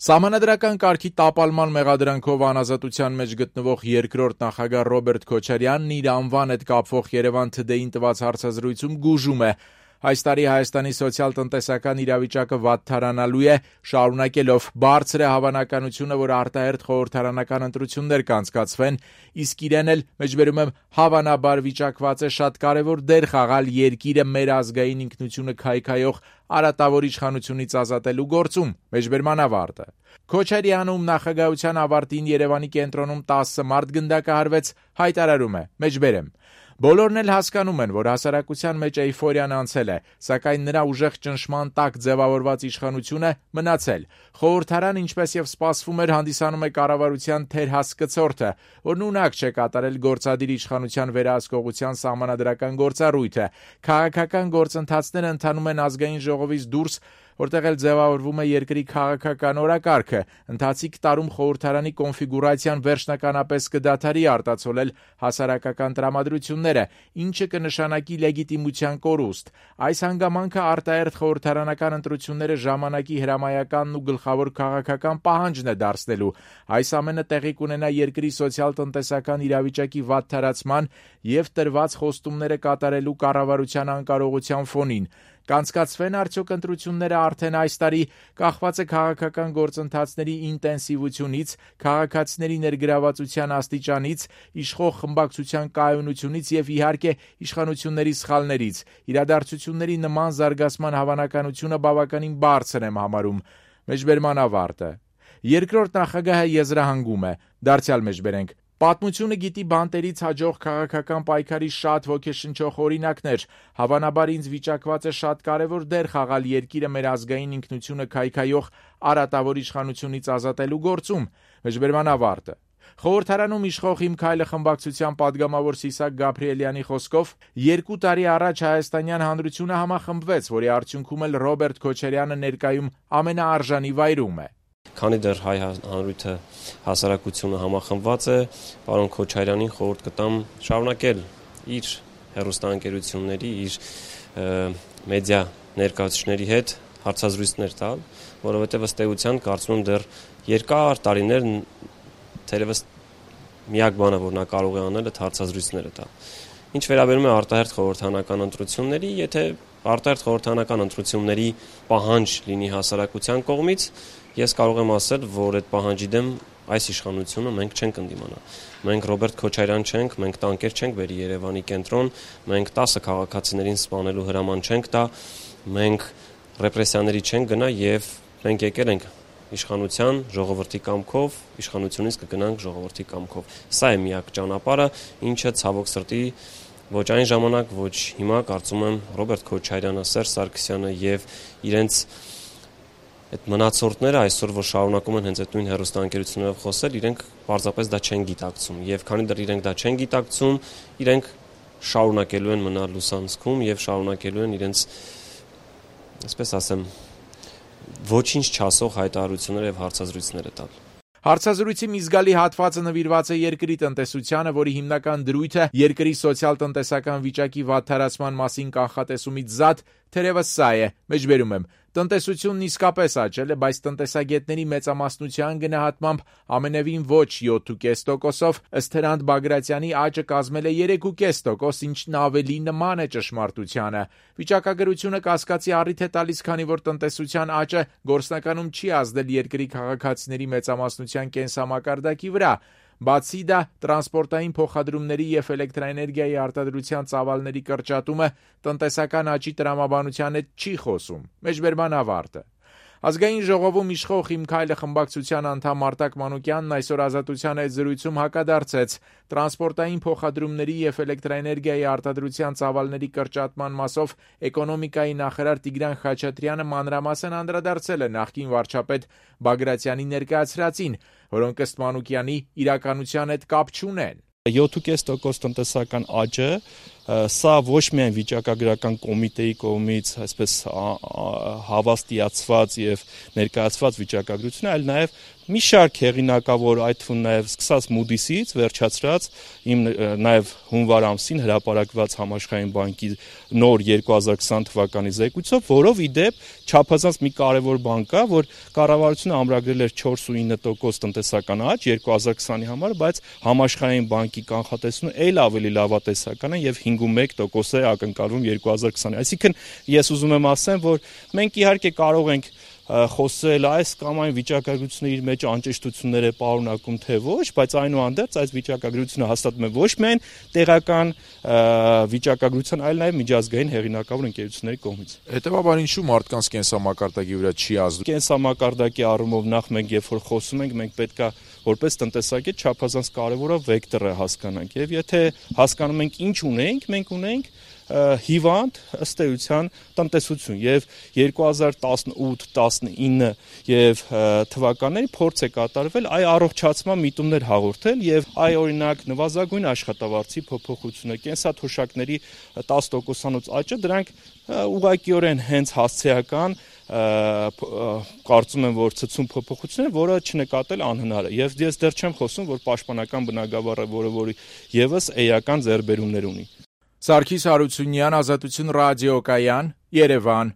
Սահմանադրական կարգի տապալման մեղադրանքով անազատության մեջ գտնվող երկրորդ նախագահ Ռոբերտ Քոչարյանն իր անվան հետ կապվող Երևան Today-ին տված հարցազրույցում գուժում է. այս տարի Հայաստանի սոցիալ-տնտեսական իրավիճակը վատթարանալու է, շարունակելով բարձր է հավանականությունը, որ արտահերթ խորհրդարանական ընտրություններ կանցկացվեն, իսկ իրեն էլ, մեջբերում եմ, հավանաբար վիճակված է շատ կարևոր դեր խաղալ երկիրը մեր ազգային ինքնությունը քայքայող արատավոր իշխանությունից ազատելու գործում, մեջբերման ավարտը։ Քոչարյանում նախագահության ավարտին Երևանի կենտրոնում 10 մարդ գնդակահարվեց, հայտարարում է, մեջբերեմ. Բոլորն էլ հասկանում են, որ հասարակության մեջ էյֆորիան անցել է, սակայն նրա ուժեղ ճնշման տակ ձևավորված իշխանությունը մնացել։ Խորհրդարան, ինչպես եւ սպասվում էր, հանդիսանում է կառավարության թերհասկցորդը, որն ունակ չէ կատարել գործադիր իշխանության վերահսկողության սահմանադրական գործառույթը։ Քաղաքական գործընթացները ընթանում են ազգային ժողովից դուրս, որտեղ էլ ձևավորվում է երկրի քաղաքական օրակարգը, ընթացիկ տարում խորհրդարանի կոնֆիգուրացիան վերջնականապես կդադարի արտացոլել հասարակական տրամադրությունները, ինչը կնշանակի լեգիտիմության կորուստ։ Այս հանգամանքը արտահերթ խորհրդարանական ընտրությունները ժամանակի հրամայականն ու գլխավոր քաղաքական պահանջն է դարձնելու։ Այս ամենը տեղի կունենա երկրի սոցիալ-տնտեսական իրավիճակի վատթարացման եւ տրված խոստումները կատարելու կառավարության անկարողության ֆոնին։ Կանցկացվեն արդյոք ընտրությունները արդեն այս տարի, կախված է քաղաքական գործընթացների ինտենսիվությունից, քաղաքացիների ներգրավվածության աստիճանից, իշխող խմբակցության կայունությունից եւ իհարկե իշխանությունների սխալներից։ Իրադարձությունների նման զարգացման հավանականությունը բավականին բարձր եմ համարում։ Մեջբերման ավարտը։ Երկրորդ նախագահը եզրահանգում է. դարձյալ մեջբերենք. Պատմությունը գիտի բանտերից հաջող քաղաքական պայքարի շատ ոգեշնչող օրինակներ, հավանաբար ինձ վիճակված է շատ կարևոր դեր խաղալ երկիրը մեր ազգային ինքնությունը քայքայող արատավոր իշխանությունից ազատելու գործում, մեջբերման ավարտը։ Խորհրդարանում իշխող Իմ քայլը խմբակցության падգամավոր Սիսակ Գաբրիելյանի խոսքով 2 տարի առաջ հայաստանյան հանրությունը համախմբվեց, որի արդյունքում էլ Ռոբերտ Քոչարյանը ներկայում ամենաարժանի վայրում է։ Քանի դեռ հայ հանրույթը հասարակությունը համախմբված է, պարոն Քոչարյանին խորհուրդ կտամ շարունակել իր հեռուստաընկերությունների, իր մեդիա ներկայացուցիչների հետ հարցազրույցներ տալ, որովհետև ըստ էության կարծում եմ դեռ երկար տարիներ թերևս միակ բանը, որ նա կարող է անել, այդ հարցազրույցները տալ։ Ինչ վերաբերում է արտահերթ խորհրդարանական ընտրությունների, եթե արտահերթ խորհրդարանական ընտրությունների պահանջ լինի հասարակության կողմից, ես կարող եմ ասել, որ այդ պահանջի դեմ այս իշխանությունը մենք չենք ընդդիմանա։ Մենք Ռոբերտ Քոչարյան չենք, մենք տանկեր չենք բերի Երևանի կենտրոն, մենք 10 քաղաքացիներին սպանելու հրաման չենք տա, մենք ռեպրեսիաների չենք գնա եւ մենք եկել ենք իշխանության ժողովրդի կամքով, իշխանությունից կգնանք ժողովրդի կամքով։ Սա է միակ ճանապարհը, ինչը ցավոք սրտի ոչ այն ժամանակ, ոչ հիմա կարծում եմ Ռոբերտ Քոչարյանը, Սերժ Սարգսյանը եւ իրենց այդ մնացորդները այսօր որ շարունակում են հենց այդ նույն հեռուստաընկերություններով խոսել, իրենք պարզապես դա չեն գիտակցում եւ քանի դեռ իրենք դա չեն գիտակցում, իրենք շարունակելու են մնալ լուսանցքում եւ շարունակելու են իրենց, այսպես ասեմ, ոչինչ չասող հայտարարություններ եւ հարցազրույցներ տալ։ Հարցազրույցի մի զգալի հատվածը նվիրված է երկրի տնտեսությանը, որի հիմնական դրույթը երկրի սոցիալ-տնտեսական վիճակի վատթարացման մասին կանխատեսումից զատ թերևս սա է, մեջբերում եմ. տնտեսությունն իսկապես աճել է, բայց տնտեսագետների մեծամասնության գնահատմամբ ամենևին ոչ 7.5%-ով, ըստ Հրանտ Բագրատյանի աճը կազմել է 3.5%, ինչն ավելի նման է ճշմարտությանը։ Վիճակագրությունը կասկածի առիթ է տալիս, քանի որ տնտեսության աճը գործնականում չի ազդել երկրի քաղաքացիների մեծամասնության կենսամակարդակի վրա։ Բացի դա, տրանսպորտային փոխադրումների եւ էլեկտրաէներգիայի արտադրության ծավալների կրճատումը տնտեսական աճի տրամաբանության հետ չի խոսում։ Մեջբերման ավարտը։ Ազգային ժողովում իշխող Իմ քայլը խմբակցության անդամ Արտակ Մանուկյանն այսօր Ազատության հետ զրույցում հակադարձեց տրանսպորտային փոխադրումների եւ էլեկտրաէներգիայի արտադրության ծավալների կրճատման մասով էկոնոմիկայի նախարար Տիգրան Խաչատրյանը մանրամասն անդրադարձել է նախկին վարչապետ Բագրատյանի ներկայացրածին, որոնք ըստ Մանուկյանի իրականության հետ կապ չունեն։ 7.5% տնտեսական աճը Սա ոչ միայն վիճակագրական կոմիտեի կողմից այսպես հավաստիացված եւ ներկայացված վիճակագրություն է, այլ նաեւ մի շարք հեղինակավոր, այդ թվում նաեւ սկսած Moody's-ից վերջացրած նաեւ հունվար ամսին հրապարակված Համաշխարհային բանկի նոր 2020 թվականի զեկույցով, որով ի դեպ չափազանց մի կարևոր բան կա, որ կառավարությունը ամրագրել էր 4.9% տնտեսական աճ 2020-ի համար, բայց Համաշխարհային բանկի կանխատեսությունը այլ ավելի լավատեսական է եւ 5.1% է ակնկալվում 2020-ին։ Այսինքն ես ուզում եմ ասեմ, որ մենք իհարկե կարող ենք խոսել այս կամ այն վիճակագրությունը իր մեջ անճշտություններ է պարունակում թե ոչ, բայց այնուհանդերձ այս վիճակագրությունը հաստատում է ոչ միայն տեղական վիճակագրության, այլ նաև միջազգային հեղինակավոր ընկերությունների կողմից։ Հետևաբար ինչու մարդկանց կենսամակարդակի վրա չի ազդում։ Կենսամակարդակի առումով նախ մենք երբ որ խոսում ենք, մենք պետքա որպես տնտեսագետ չափազանց կարևորը վեկտորը հասկանանք, եւ եթե հասկանում ենք ինչ ունենք, մենք ունենք հիվանդ ըստ էության տնտեսություն եւ 2018-19 եւ թվականների փորձ է կատարվել այ առողջացման միտումներ հաղորդել եւ այ օրինակ նվազագույն աշխատավարձի փոփոխությունը, կենսաթոշակների 10%-անոց աճը, դրանք ուղղակիորեն հենց հասցեական կարծում եմ, որ ցցում փոփոխություն է, որը չնկատել անհնար է եւ ես դեռ չեմ խոսում, որ պաշտպանական բնագավառը, որը եւս էական ձեռբերումներ ունի։ Սարգիս Հարությունյան, Ազատություն ռադիոկայան, Երևան։